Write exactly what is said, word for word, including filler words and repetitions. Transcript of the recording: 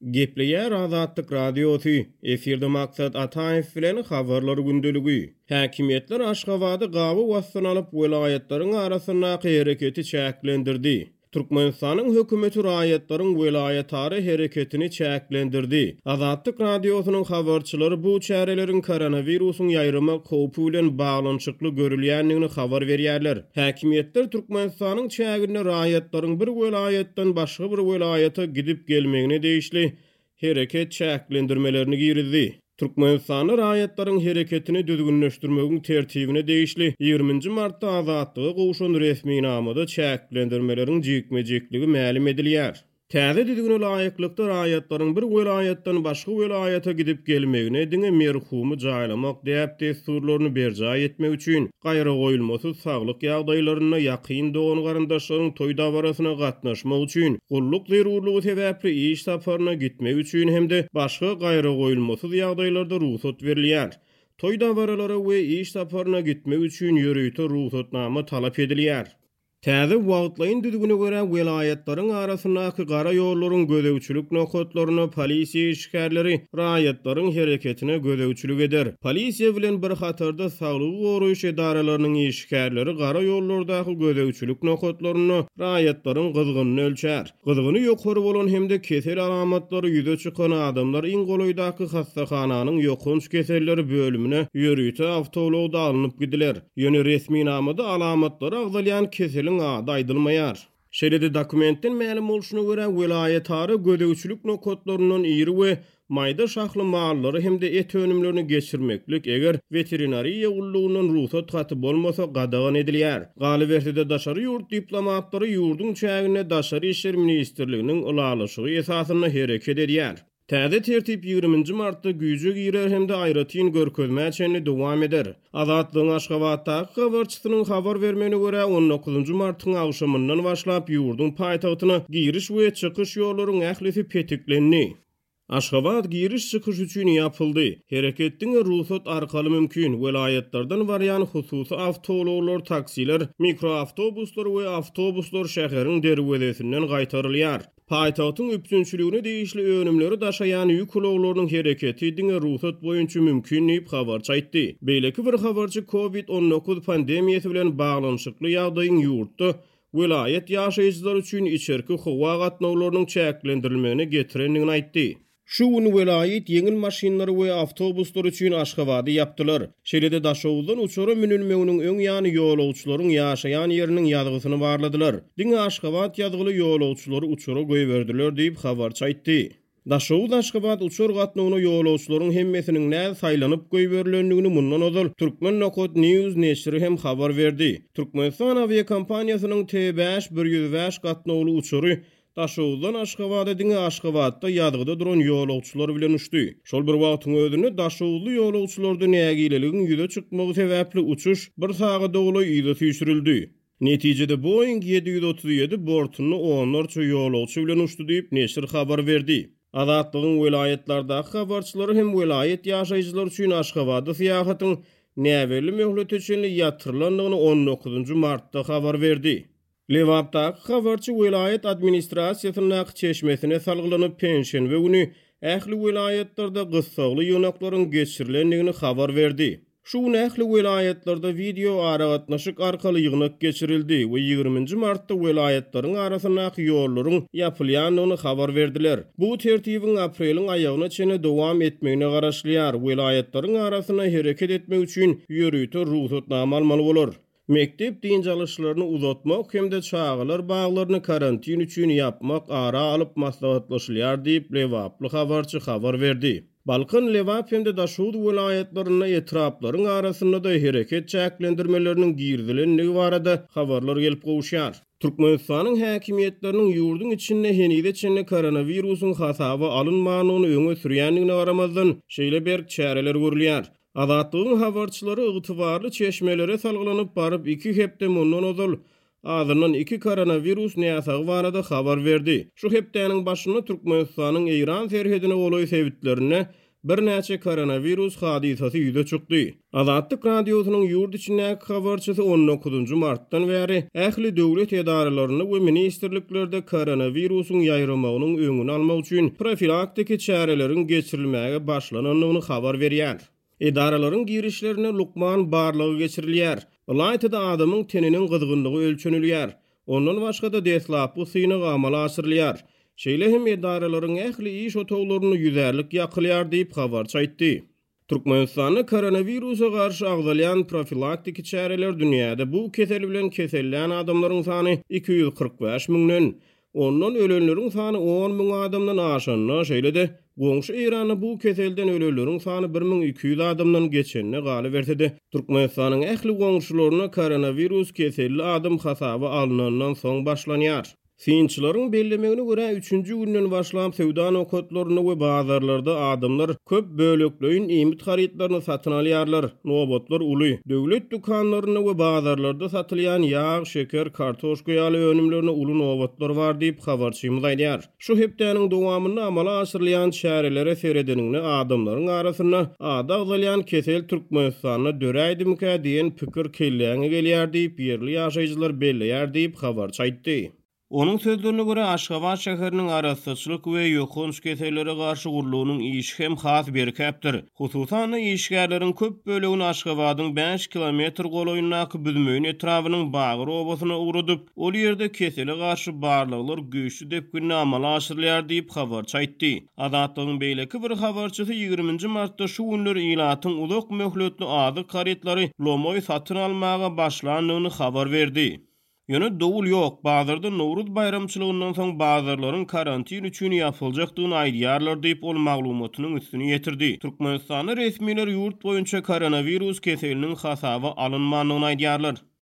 Gepleýär Azatlyk Radiosy, efirde Maksat Ataýew bilen Habarlar gündeligi. Häkimiýetler Aşgabady gabaw astyna alyp, welaýatlaryň arasyndaky hereketi çäklendirdi. Türkmenistanyň hökümeti raýatlaryň welaýatara hereketini çäklendirdi. Azatlyk Radiosynyň habarçylary bu çäreleriň koronawirusyň ýaýramak howpy bilen baglanyşykly görülýändigini habar berýärler. Häkimiýetler Türkmenistanyň çäginde raýatlaryň bir welaýatdan başga bir welaýata gidip gelmegine degişli hereket çäklendirmelerini girizdi. Türkmenistanda raýatlaryň hereketini düzgünleşdirmegiň tertibine degişli ýigriminji martda Azatlyga gowşan resminamada çäklendirmeleriň jikme-jikligi mälim edilýär. Täze düzgüne laýyklykda raýatlaryň bir welaýatdan başga welaýata gidip gelmegine diňe merhumy jaýlamak däp-dessurlaryny berjaý etmek üçin, gaýragoýulmasyz saglyk ýagdaýlarynda ýakyn dogan-garyndaşlaryň toý dabarasyna gatnaşmak üçin, gulluk zerurlygy sebäpli iş saparyna gitmek üçin hem-de başga gaýragoýulmasyz ýagdaýlarda rugsat berilýär. Toý dabaralara we iş saparyna gitmek üçin ýörite rugsatnama talap edilýär. Täze wagtlaýyn düzgüne görä, welaýatlaryň arasyndaky gara ýollaryň gözegçilik nokatlarynda polisiýa işgärleri raýatlaryň hereketine gözegçilik eder. Polisiýa bilen bir hatarda saglygy goraýyş edaralarynyň işgärleri gara ýollardaky gözegçilik nokatlarynda raýatlaryň gyzgynyny ölçär. Gyzgyny ýokary bolan hem-de kesel alamatlary ýüze çykan adamlar iň golaýdaky hassahananyň ýokanç keselleri bölümine ýörite awtoulagda alnyp gidiler. Ýöne resminamada alamatlary agzalýan keseliň ady aýdylmaýar. Şeýle-de dokumentden mälim bolşuna görä, welaýatara gözegçilik nokatlaryndan iri we maýda şahly mallary hem-de et önümlerini geçirmeklik, eger weterinariýa gullugyndan rugsat haty bolmasa, gadagan edilýär. Galyberse-de, daşary ýurt diplomatlary ýurduň çäginde Daşary işler ministrliginiň ylalaşygy esasynda hereket edýär. Täze tertip ýigriminji martda güýje girer hem-de aýratyn görkezmä çenli dowam eder. Azatlygyň Aşgabatdaky habarçysynyň habar bermegine görä, on dokuzynjy martyň agşamyndan başlap ýurduň paýtagtyna giriş we çykyş ýollaryň ählisi petiklendi. Aşgabat giriş-çykyş üçin ýapyldy. Hereket diňe rugsat arkaly mümkin. Welaýatlardan barýan hususy awtoulaglar, taksiler, mikroawtobuslar we awtobuslar şäheriň derwezesinden gaýtarylýar. Paýtagtyň üpjünçiligine degişli önümleri daşaýan ýük ulaglarynyň hereketi diňe rugsat boýunça mümkin diýip, habarçy aýtdy. Beýleki bir habarçy Covid on dokuz pandemiýasy bilen baglanyşykly ýagdaýyň ýurtda welaýat ýaşaýjylary üçin içerki howa gatnawlarynyň çäklendirilmegine getirendigini aýtdy. Şu gün welaýat ýeňil maşynlary we awtobuslar üçin Aşgabady ýapdylar. Şeýle-de Daşoguzdan uçara münülmeginiň öň ýany ýolagçylaryň ýaşaýan ýeriniň ýazgysyny barladylar. Diňe Aşgabat ýazgyly ýolagçylary uçara goýberdiler diýip, habarçy aýtdy. Daşoguz-Aşgabat uçar gatnawyna ýolagçylaryň hemmesiniň näz saýlanyp goýberilendigini mundan ozal Turkmen nokat News neşiri hem habar berdi. Türkmenistan awiakompaniýasynyň T bäş bir ýüz bäş gatnawly uçary Daşoguzdan Aşgabada diňe Aşgabatda ýazgyda duran ýolagçylar bilen uçdy. Şol bir wagtyň özünde daşoguzly ýolagçylarda nägileligiň ýüze çykmagy sebäpli uçuş bir sagada golaý yza süýşürildi. Netijede Boeing ýedi ýüz otuz ýedi bortunda onlarça ýolagçy bilen uçdy diýip, neşir habar berdi. Azatlygyň welaýatlardaky habarçylary hem welaýat ýaşaýjylary üçin Aşgabada syýahatyň näbelli möhlete çenli ýatyrylandygyny on dokuzynjy martda habar berdi. Lebapdaky habarçy welaýat administrasiýasyndaky çeşmesine salgylanyp, penşenbe güni ähli welaýatlarda gyssagly ýygnaklaryň geçirilendigini habar berdi. Şu gün ähli welaýatlarda wideo aragatnaşyk arkaly ýygnak geçirildi we ýigriminji martda welaýatlaryň arasyndaky ýollaryň ýapylýandygyny habar berdiler. Bu tertibiň apreliň aýagyna çenli dowam etmegine garaşylýar. Welaýatlaryň arasynda hereket etmek üçin ýörite rugsatnama almaly bolar. Mekdep dynç alyşlaryny uzatmak hem-de çagalar baglaryny karantin üçin ýapmak ara alyp maslahatlaşylýar diýip, lebaply habarçy habar berdi. Balkan, Lebap hem-de Daşoguz welaýatlarynda etraplaryň arasynda-da hereket çäklendirmeleriniň girizilendigi barada habarlar gelip gowuşýar. Türkmenistanyň häkimiýetleriniň ýurduň içinde henize çenli koronawirusyň hasaba alynmandygyny öňe sürýändigine garamazdan, şeýle berk çäreler görülýär. Azatlygyň habarçylary ygtybarly çeşmelere salgylanyp baryp iki hepde mundan ozal azyndan iki koronawirus näsagy barada habar berdi. Şu hepdäniň başynda Türkmenistanyň Eýran serhedine golaý sebitlerinde birnäçe koronawirus hadysasy ýüze çykdy. Azatlyk Radiosynyň ýurt içindäki habarçysy on dokuzynjy martdan bäri ähli döwlet edaralarynda we ministrliklerde koronawirusyň ýaýramagynyň öňüni almak üçin profilaktiki çäreleriň geçirilmäge başlanandygyny habar berýär. Edaralaryň girişlerine lukman barlagy geçirilýär. Ylaýta-da adamyň teniniň gyzgynlygy ölçenilýär. Ondan başga-da deslapky synag amala aşyrylýar. Şeýle hem edaralaryň ähli iş otaglarynda ýüzärlik ýakylýar diýip habarçy aýtdy. Türkmenistanda koronawirusa garşy agzalýan profilaktiki çäreler dünýäde bu kesel bilen kesellän adamlaryň sany iki ýüz kyrk bäş müňden, ondan ölenleriň sany on müň adamdan aşanda, şeýle-de goňşy Eýranda bu keselden ölenleriň sany bir müň iki ýüz adamdan geçende galyberse-de, Türkmenistanyň ähli goňşularyna koronawirus keselli adam hasaba alnandan soň başlanýar. Synçylaryň bellemegine görä üçünji günden başlap söwda nokatlarynda we bazarlarda adamlar köp bölekleýin iýmit harytlaryny satyn alýarlar. Nobatlar uly. Döwlet dükanlarynda we bazarlarda satylýan ýag, şeker, kartoşka ýaly önümlerine uly nobatlar bar diýip habarçymyz aýdýar. Şu hepdäniň dowamynda amala aşyrylýan çärelere seredeninde adamlaryň arasynda ady agzalýan kesel Türkmenistanda döräýdimikä diýen pikir kelläňe gelýär diýip ýerli ýaşaýjylar belleýär diýip habarçy aýtdy. Onuň sözlerine görä Aşgabat şäheriniň arassaçylyk we ýokanç kesellere garşy gurlugynyň işi hem has berkäpdir. Hususan-da işgärleriň köp bölegini Aşgabadyň bäş kilometr golaýyndaky Büzmeýin etrabynyň Bagyr obasyna ugradyp, ol ýerde kesele garşy barlaglar güýçli depginde amala aşyrylýar diýip habarçy aýtdy. Azatlygyň beýleki bir habarçysy ýigriminji martda şu günler ilatyň uzak möhletli azyk harytlary lomaý satyn almaga başlandygyny habar berdi. Ýöne dowul ýok, bazarda Nowruz baýramçylygyndan soň bazarlaryň karantin üçin ýapyljakdygyny aýdýarlar diýip ol maglumatynyň üstüni ýetirdi. Türkmenistanda resmiler ýurt boýunça koronawirus keseliniň hasaba alynmandygyny aýdýarlar.